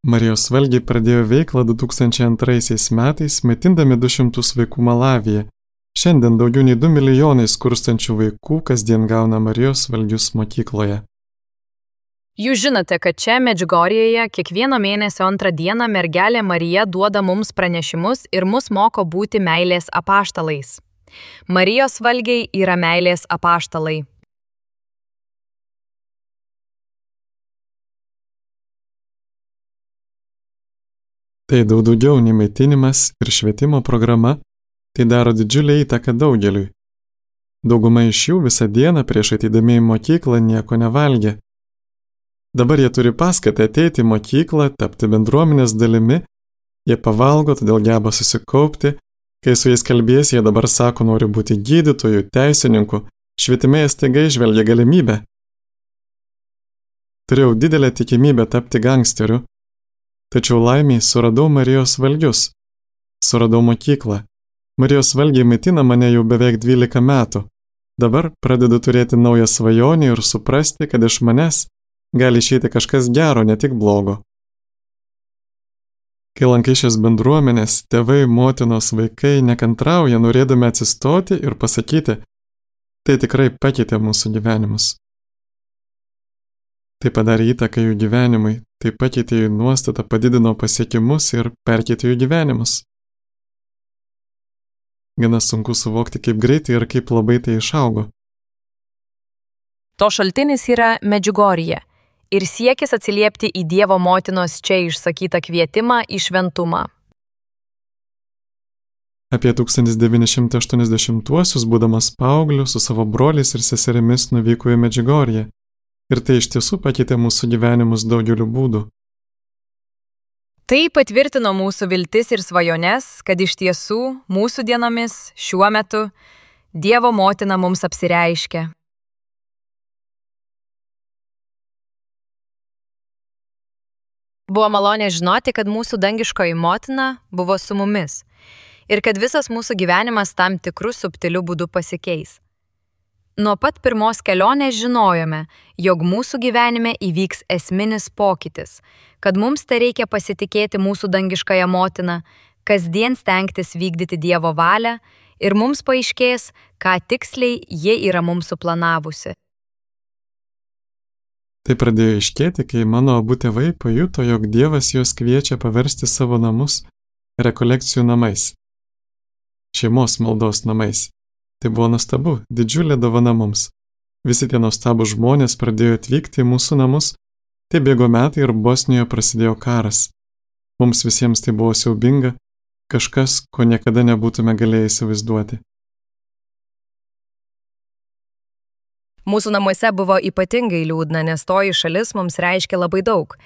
Marijos valgiai pradėjo veiklą 2002 metais, maitindami 200 vaikų Malavyje. Šiandien daugiau nei 2 milijonai skurstančių vaikų kasdien gauna Marijos valgius mokykloje. Jūs žinote, kad čia Medžiugorjėje kiekvieno mėnesio 2 dieną mergelė Marija duoda mums pranešimus ir mus moko būti meilės apaštalais. Marijos valgiai yra meilės apaštalai. Tai daug daugiau nei maitinimas ir švietimo programa, tai daro didžiulę įtaką daugeliui. Dauguma iš jų visą dieną prieš ateidami į mokyklą nieko nevalgė. Dabar jie turi paskatą ateiti į mokyklą, tapti bendruomenės dalimi, jie pavalgo, todėl geba susikaupti, kai su jais kalbės, jie dabar sako, nori būti gydytojų, teisininkų, švietime jie staiga įžvelgia galimybę. Turėjau didelę tikimybę tapti gangsteriu, tačiau laimiai suradau Marijos valgius, suradau mokyklą. Marijos valgiai maitina mane jau beveik 12 metų. Dabar pradedu turėti naują svajonę ir suprasti, kad iš manęs gali išeiti kažkas gero, ne tik blogo. Kai lankai šias bendruomenės, tėvai, motinos, vaikai nekantrauja, norėdami atsistoti ir pasakyti, tai tikrai pakeitė mūsų gyvenimus. Tai padarė įtaką jų gyvenimui, tai pakeitė jų nuostatą, padidino pasiekimus ir perkeitė jų gyvenimus. Gana sunku suvokti, kaip greitai ir kaip labai tai išaugo. To šaltinis yra Medžiugorjė ir siekis atsiliepti į Dievo motinos čia išsakytą kvietimą į šventumą. Apie 1980-uosius, būdamas paaugliu, su savo broliais ir seserimis nuvyko į Medžiugorję. Ir tai iš tiesų pakeitė mūsų gyvenimus daugeliu būdų. Tai patvirtino mūsų viltis ir svajones, kad iš tiesų mūsų dienomis, šiuo metu, Dievo motina mums apsireiškia. Buvo malonė žinoti, kad mūsų dangiškoji motina buvo su mumis ir kad visas mūsų gyvenimas tam tikrų subtilių būdų pasikeis. Nuo pat pirmos kelionės žinojome, jog mūsų gyvenime įvyks esminis pokytis, kad mums tai reikia pasitikėti mūsų dangiškąją motiną, kasdien stengtis vykdyti Dievo valią ir mums paaiškės, ką tiksliai ji yra mums suplanavusi. Tai pradėjo aiškėti, kai mano abu tėvai pajuto, jog Dievas juos kviečia paversti savo namus rekolekcijų namais, šeimos maldos namais. Tai buvo nuostabu, didžiulė dovana mums. Visi tie nuostabūs žmonės pradėjo atvykti į mūsų namus, tai bėgo metai ir Bosnijoje prasidėjo karas. Mums visiems tai buvo siaubinga, kažkas, ko niekada nebūtume galėję įsivaizduoti. Mūsų namuose buvo ypatingai liūdna, nes toji šalis mums reiškia labai daug.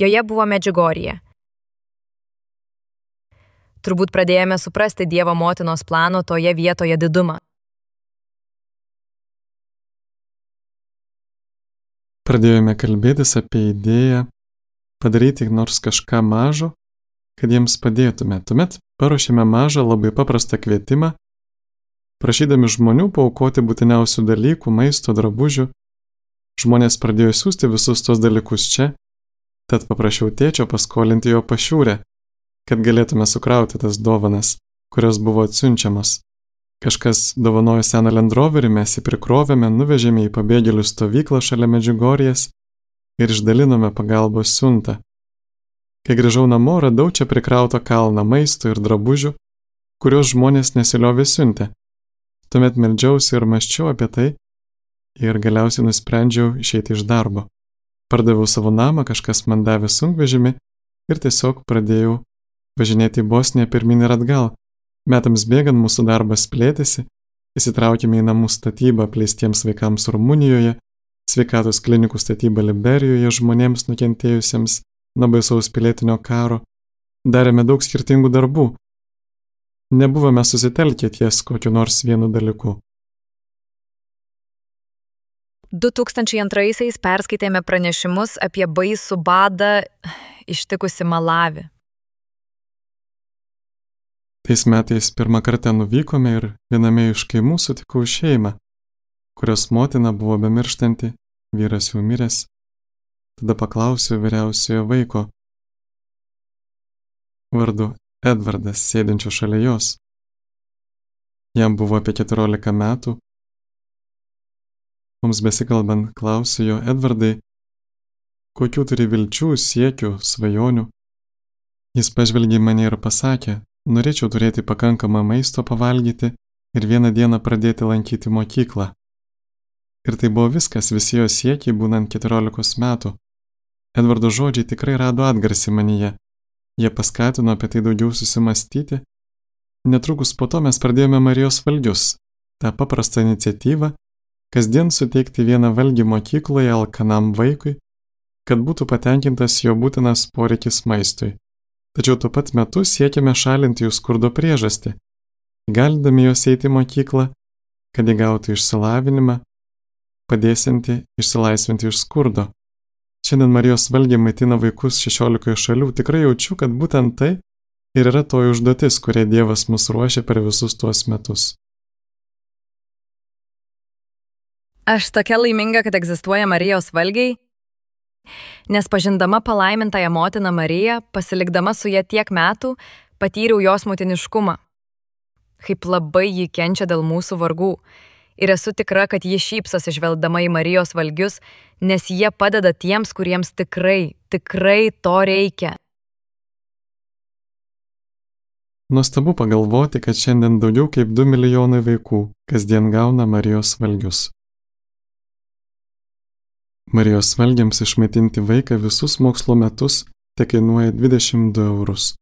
Joje buvo Medžiugorjė. Turbūt pradėjome suprasti Dievo motinos plano toje vietoje didumą. Pradėjome kalbėtis apie idėją padaryti nors kažką mažo, kad jiems padėtume. Tuomet paruošėme mažą, labai paprastą kvietimą, prašydami žmonių paaukoti būtiniausių dalykų, maisto, drabužių. Žmonės pradėjo siųsti visus tos dalykus čia, tad paprašiau tėčio paskolinti jo pašiūrę, kad galėtume sukrauti tas dovanas, kurios buvo atsiunčiamos. Kažkas dovanojo seną Land Roverį, mes jį prikrovėme, nuvežėme į pabėgėlių stovyklą šalia Medžiugorjės ir išdalinome pagalbos siuntą. Kai grįžau namo, radau čia prikrautą kalną maisto ir drabužių, kuriuos žmonės nesiliovė siuntę. Tuomet meldžiausi ir mąsčiau apie tai ir galiausiai nusprendžiau išeiti iš darbo. Pardaviau savo namą, kažkas man davė sunkvežimį ir tiesiog pradėjau važinėti į Bosniją pirmyn ir atgal. Metams bėgant mūsų darbas plėtėsi, įsitraukėme į namų statybą apleistiems vaikams Rumunijoje, sveikatos klinikų statybą Liberijoje žmonėms nukentėjusiems nuo baisaus pilietinio karo, darėme daug skirtingų darbų. Nebuvome susitelkę ties kokiu nors vienu dalyku. 2002-aisiais perskaitėme pranešimus apie baisų badą ištikusi Malavį. Tais metais pirmą kartą nuvykome ir viename iš kaimų sutikau šeimą, kurios motina buvo bemirštanti, vyras jau miręs. Tada paklausiau vyriausiojo vaiko, vardu Edvardas sėdinčio šalia jos. Jam buvo apie 14 metų. Mums besikalbant klausiu jo: Edvardai, kokių turi vilčių, siekių, svajonių? Jis pažvelgė į mane ir pasakė: norėčiau turėti pakankamą maisto pavalgyti ir vieną dieną pradėti lankyti mokyklą. Ir tai buvo viskas, visi jo siekiai būnant 14 metų. Edvardo žodžiai tikrai rado atgarsį manyje. Jie paskatino apie tai daugiau susimastyti. Netrukus po to mes pradėjome Marijos valgius, tą paprastą iniciatyvą, kasdien suteikti vieną valgį mokykloje alkanam vaikui, kad būtų patenkintas jo būtinas poreikis maistui. Tačiau tuo pat metu siekiame šalinti jų skurdo priežastį, įgalindami juos eiti į mokyklą, kad įgautų išsilavinimą, padėsianti išsilaisvinti iš skurdo. Šiandien Marijos valgiai maitina vaikus 16 šalių. Tikrai jaučiu, kad būtent tai ir yra toji užduotis, kurią Dievas mus ruošia per visus tuos metus. Aš tokia laiminga, kad egzistuoja Marijos valgiai, nes pažindama palaimintąją motiną Mariją, pasilikdama su ja tiek metų, patyriau jos motiniškumą. Kaip labai ji kenčia dėl mūsų vargų. Ir esu tikra, kad ji šypsosi žvelgdama į Marijos valgius, nes jie padeda tiems, kuriems tikrai to reikia. Nuostabu pagalvoti, kad šiandien daugiau kaip 2 milijonai vaikų kasdien gauna Marijos valgius. Marijos valgiams išmaitinti vaiką visus mokslo metus tekainuoja 22 eurus.